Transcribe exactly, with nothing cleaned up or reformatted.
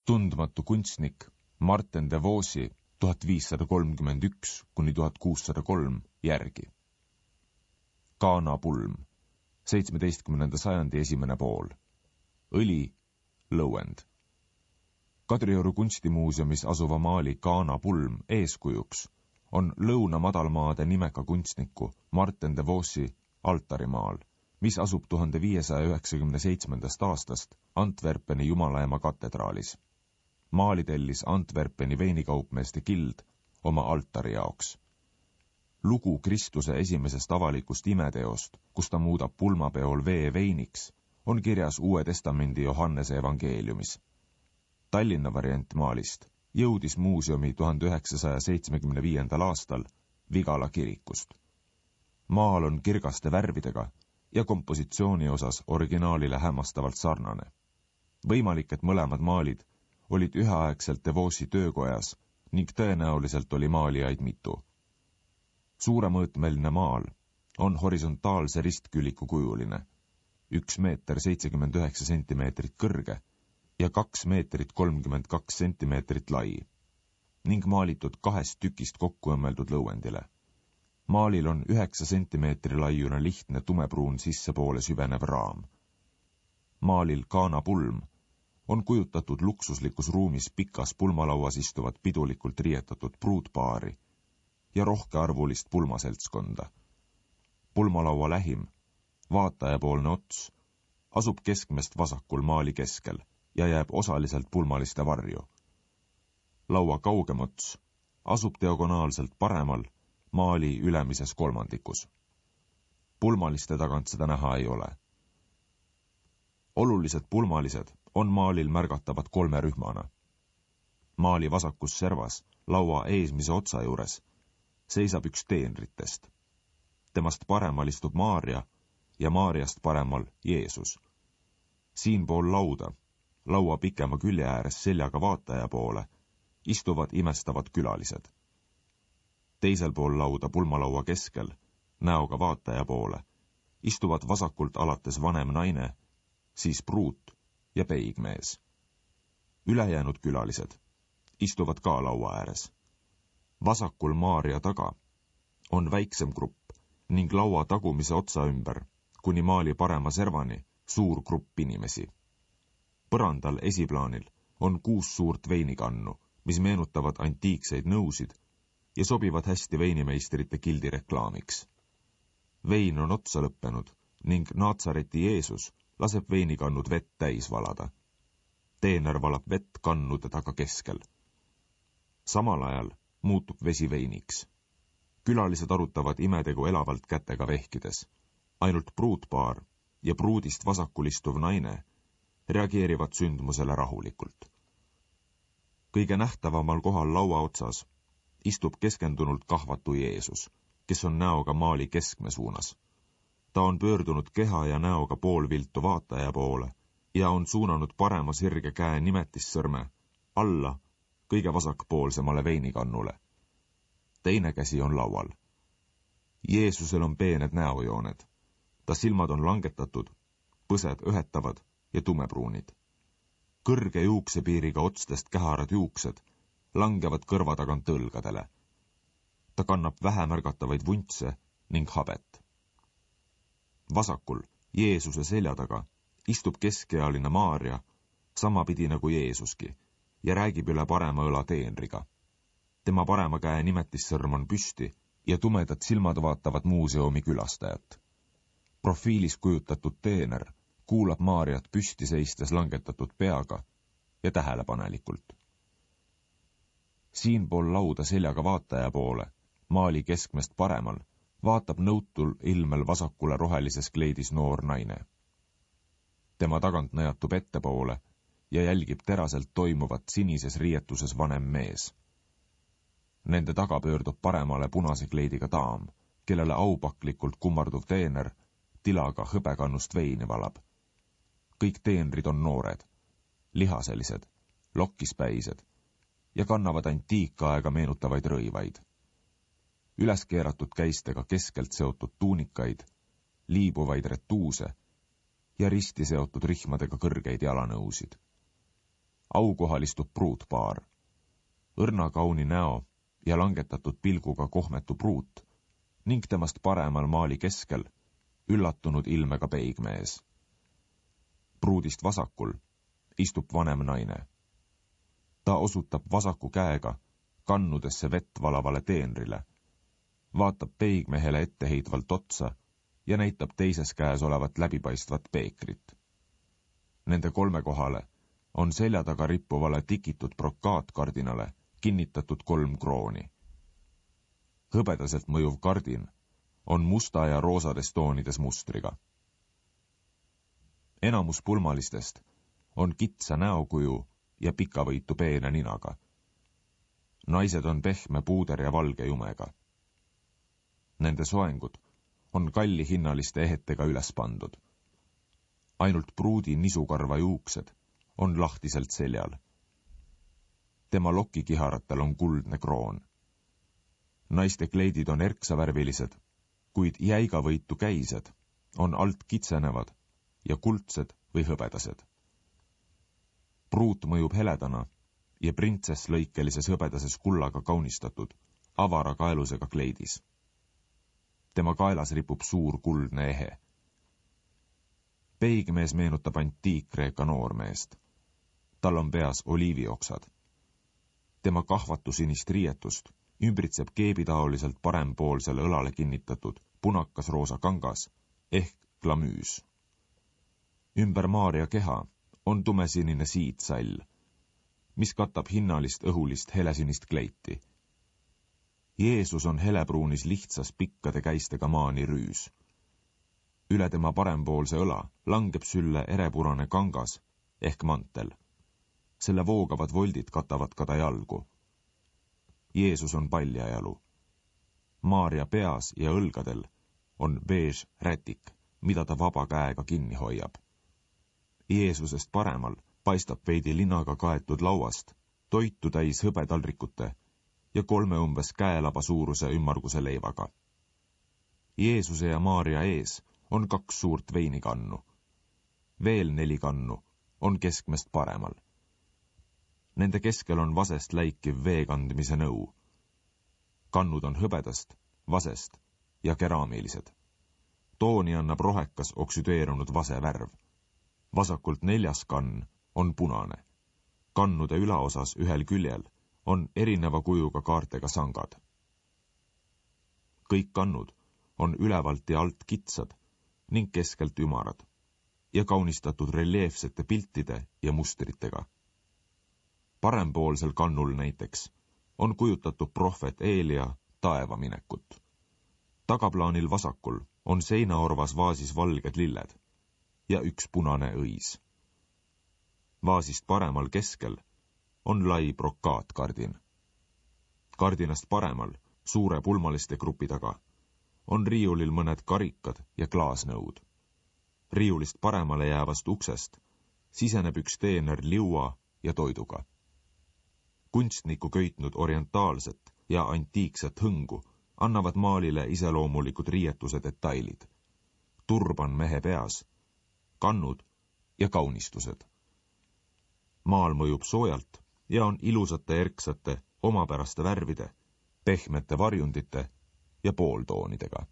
tundmatu kunstnik Martin de Vossi tuhat viissada kolmkümmend üks kuni tuhat kuussada kolm järgi. Kaana pulm, seitsmeteistkümnenda sajandi esimene pool. Õli, lõuend. Kadrioru kunstimuuseumis asuva maali Kaana pulm eeskujuks on Lõuna madalmaade nimeka kunstniku Martin de Vossi altarimaal, mis asub tuhande viiesaja üheksakümne seitsmendast aastast Antwerpeni Jumalaema katedraalis. Maali tellis Antwerpeni veinikaupmeeste gild oma altari jaoks. Lugu Kristuse esimesest avalikust imeteost, kus ta muudab pulmapeol vee veiniks, on kirjas Uue Testamendi Johannese evangeeliumis. Tallinna variant maalist jõudis muuseumi tuhande üheksasaja seitsmekümne viiendal aastal Vigala kirikust. Maal on kirgaste värvidega ja kompositsiooni osas originaalile hämmastavalt sarnane. Võimalik, et mõlemad maalid olid üheaegselt de Vossi töökojas ning tõenäoliselt oli maalijaid mitu. Suuremõõtmeline maal on horisontaalse ristküliku kujuline, üks meeter seitsekümmend üheksa sentimeetrit kõrge ja kaks meetrit kolmkümmend kaks sentimeetrit lai ning maalitud kahest tükist kokku õmmeldud lõuendile. Maalil on üheksa sentimeetri laiune lihtne tumepruun sissepoole süvenev raam. Maalil Kaana pulm on kujutatud luksuslikus ruumis pikas pulmalauas istuvat pidulikult riietatud pruutpaari ja rohkearvulist pulmaseltskonda. Pulmalaua lähim, vaatajapoolne ots, asub keskmest vasakul maali keskel ja jääb osaliselt pulmaliste varju. Laua kaugem ots asub diagonaalselt paremal maali ülemises kolmandikus. Pulmaliste tagant seda näha ei ole. Olulised pulmalised on maalil märgatavad kolme rühmana. Maali vasakus servas, laua eesmise otsa juures, seisab üks teenritest. Temast paremal istub Maaria ja Maariast paremal Jeesus. Siinpool lauda, laua pikema külje ääres seljaga vaataja poole, istuvad imestavad külalised. Teisel pool lauda pulmalaua keskel, näoga vaataja poole, istuvad vasakult alates vanem naine, siis pruut ja peigmees. Ülejäänud külalised istuvad ka laua ääres. Vasakul Maaria taga on väiksem grupp ning laua tagumise otsa ümber, kuni maali parema servani, suur grupp inimesi. Põrandal esiplaanil on kuus suurt veinikannu, mis meenutavad antiikseid nõusid ja sobivad hästi veinimeistrite gildi reklaamiks. Vein on otsa lõppenud ning Naatsareti Jeesus laseb veinikannud vett täis valada. Teener valab vett kannude taga keskel. Samal ajal muutub vesi veiniks. Külalised arutavad imetegu elavalt kätega vehkides. Ainult pruutpaar ja pruudist vasakul istuv naine reageerivad sündmusele rahulikult. Kõige nähtavamal kohal laua otsas istub keskendunult kahvatu Jeesus, kes on näoga maali keskme suunas. Ta on pöördunud keha ja näoga poolviltu vaataja poole ja on suunanud parema sirge käe nimetissõrme alla kõige vasakpoolsemale veinikannule. Teine käsi on laual. Jeesusel on peened näojooned. Ta silmad on langetatud, põsed õhetavad ja tumepruunid. Kõrge juuksepiiriga otstest käharad juuksed langevad kõrva tagant õlgadele. Ta kannab vähemärgatavaid vuntse ning habet. Vasakul, Jeesuse selja taga, istub keskealine Maaria, samapidi nagu Jeesuski, ja räägib üle parema õla teenriga. Tema parema käe nimetissõrm on püsti ja tumedad silmad vaatavad muuseumi külastajat. Profiilis kujutatud teener kuulab Maariat püsti seistes langetatud peaga ja tähelepanelikult. Siinpool lauda seljaga vaataja poole, maali keskmest paremal, vaatab nõutul ilmel vasakule rohelises kleidis noor naine. Tema tagant najatub ettepoole ja jälgib teraselt toimuvat sinises riietuses vanem mees. Nende taga pöördub paremale punase kleidiga daam, kellele aupaklikult kummarduv teener tilaga hõbekannust veini valab. Kõik teenrid on noored, lihaselised, lokkispäised ja kannavad antiikaega meenutavaid rõivaid. Üleskeeratud käistega keskelt seotud tuunikaid, liibuvaid retuuse ja risti seotud rihmadega kõrgeid jalanõusid. aukohal istub pruutpaar. Õrna kauni näo ja langetatud pilguga kohmetu pruut ning temast paremal maali keskel üllatunud ilmega peigmees. Pruudist vasakul istub vanem naine. Ta osutab vasaku käega kannudesse vett valavale teenrile, vaatab peigmehele etteheitvalt otsa ja näitab teises käes olevat läbipaistvat peekrit. Nende kolme kohale on selja taga rippuvale tikitud brokaatkardinale kinnitatud kolm krooni. Hõbedaselt mõjuv kardin on musta ja roosades toonides mustriga. Enamus pulmalistest on kitsa näokuju ja pikavõitu peene ninaga. Naised on pehme puuder ja valge jumega. Nende soengud on kalli hinnaliste ehetega üles pandud. Ainult pruudi nisukarva juuksed on lahtiselt seljal. Tema lokikiharatel on kuldne kroon. Naiste kleidid on erksavärvilised, kuid jäigavõitu käised on alt kitsenevad ja kuldsed või hõbedased. Pruut mõjub heledana ja printsess lõikelises hõbedases kullaga kaunistatud avara kaelusega kleidis. Tema kaelas ripub suur kuldne ehe. Peigmees meenutab antiik-Kreeka noormeest. Tal on peas oliivioksad. Tema kahvatusinist riietust ümbritseb keebitaoliselt parempoolsele õlale kinnitatud punakas roosa kangas ehk glamüüs. Ümber Maaria keha on tumesinine siidsall, mis katab hinnalist õhulist helesinist kleiti. Jeesus on helepruunis lihtsas pikkade käistega maani rüüs. Üle tema parempoolse õla langeb sülle erepurane kangas ehk mantel. Selle voogavad voldid katavad ka ta jalgu. Jeesus on paljajalu. Maaria peas ja õlgadel on beež rätik, mida ta vaba käega kinni hoiab. Jeesusest paremal paistab veidi linaga kaetud lauast toitu täis hõbetaldrikute ja kolme umbes käelaba suuruse ümmarguse leivaga. Jeesuse ja Maaria ees on kaks suurt veinikannu. Veel neli kannu on keskmest paremal. Nende keskel on vasest läikiv veekandmise nõu. Kannud on hõbedast, vasest ja keraamilised. Tooni annab rohekas oksüdeerunud vase värv. Vasakult neljas kann on punane. Kannude ülaosas ühel küljel on erineva kujuga kaartega sangad. Kõik kannud on ülevalt ja alt kitsad ning keskelt ümarad ja kaunistatud reljeefsete piltide ja mustritega. Parempoolsel kannul näiteks on kujutatud prohvet Eelia taevaminekut. Tagaplaanil vasakul on seinaorvas vaasis valged lilled ja üks punane õis. Vaasist paremal keskel on lai brokaatkardin. Kardinast paremal, suure pulmaliste grupi taga, on riiulil mõned karikad ja klaasnõud. Riiulist paremale jäävast uksest siseneb üks teener liua ja toiduga. Kunstniku köitnud orientaalset ja antiikset hõngu annavad maalile iseloomulikud riietuse detailid. Turban mehe peas, kannud ja kaunistused. Maal mõjub soojalt ja on ilusate erksate, omapäraste värvide, pehmete varjundite ja pooltoonidega.